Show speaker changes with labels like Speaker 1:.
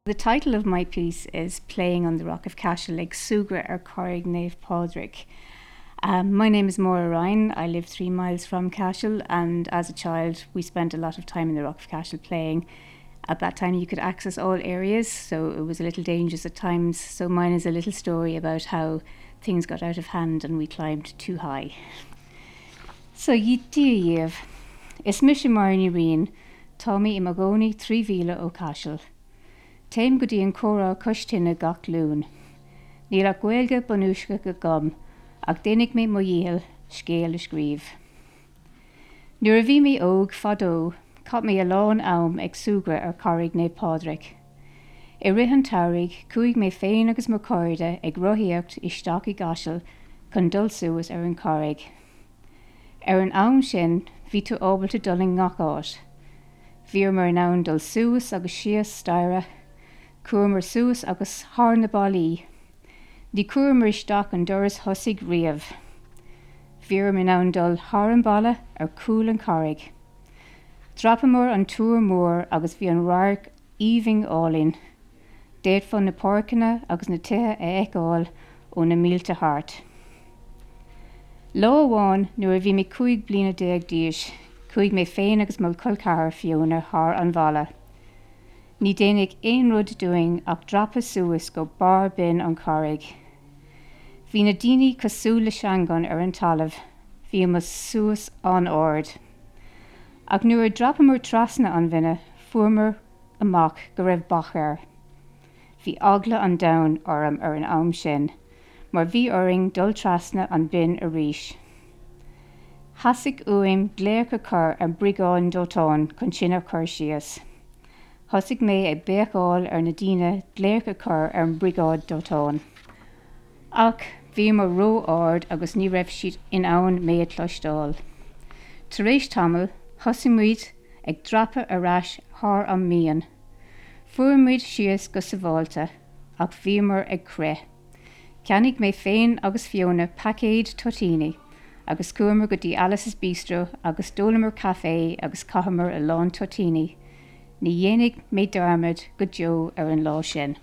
Speaker 1: The title of my piece is Playing on the Rock of Cashel ag súgradh ar Charraig Naomh Pádraig. Um, my name is Maura Ryan. I live 3 miles from Cashel and as a child we spent a lot of time in the Rock of Cashel playing. At that time you could access all areas, so it was a little dangerous at times. So mine is a little story about how things got out of hand and we climbed too high. So Dia dhaoibh. Is mise Máire Ní Riain, tá mé i mo chónaí 3 mhíle ó Caiseal. Téim go dtí an comhrá cois tine gach Luan. Níl ach Gaeilge bunúsach agam ach déanfaidh mé mo dhícheall scéal a scríobh. Nuair a bhí mé óg, fadó, chaith mé a lán am ag súgradh ar Charraig Naomh Pádraig. I rith an tsamhraidh, chuaigh mé féin agus mo chairde ag rothaíocht isteach i gCaiseal chun dul suas ar an charraig. Ar an am sin, bhí tú ábalta dul i ngach áit. Bhíomar in ann dul suas agus síos staighre, chuamar suas agus thar na ballaí. Ní chuamar isteach an doras thosaigh riamh. Bhíomar in ann dul thar an balla ar chúl an charraig. Dhreapamar an túr mór agus bhí an radharc aoibhinn álainn. D'fhéadfá na páirceanna agus na tithe a fheiceáil ó na mílte thart. Lá amháin nuair a bhí mé 15 bliana d'aois, chuaigh mé féin agus mo chol ceathar Fiona thar an bhalla. Ní déanadh aon rud dúinn ach dreapadh suas go barr binn an charraig. Bhí na daoine cosúil le seangáin ar an talamh, bhíomar suas an-ard. Ach nuair a dhreapamar trasna an bhinne, fuaireamar amach go raibh bac air. Bhí eagla an domhain orm ar an am sin, mar bhí orainn dul trasna an binn arís. Theastaigh uaim glaoch a chur ar briogáid dóiteáin chun sinn a chur síos. Thosaigh mé ag béiceáil ar na daoine glaoch a chur ar an mbriogáid dóiteáin. Ach bhíomar ró-ard agus ní raibh siad in ann mé a chloisteáil. Tar éis tamaill, thosaigh muid ag dreapadh ar ais thar an mbinn. Fuair muid síos go sábháilte, ach bhíomar ag crith. Cheannaigh mé féin agus Fiona paicéad toitíní agus chuamar go dtí Alice's Bistro agus d'ólamar caife agus chaitheamar a lán toitíní. Ní dhéanfaidh mé dearmad go deo ar an lá sin.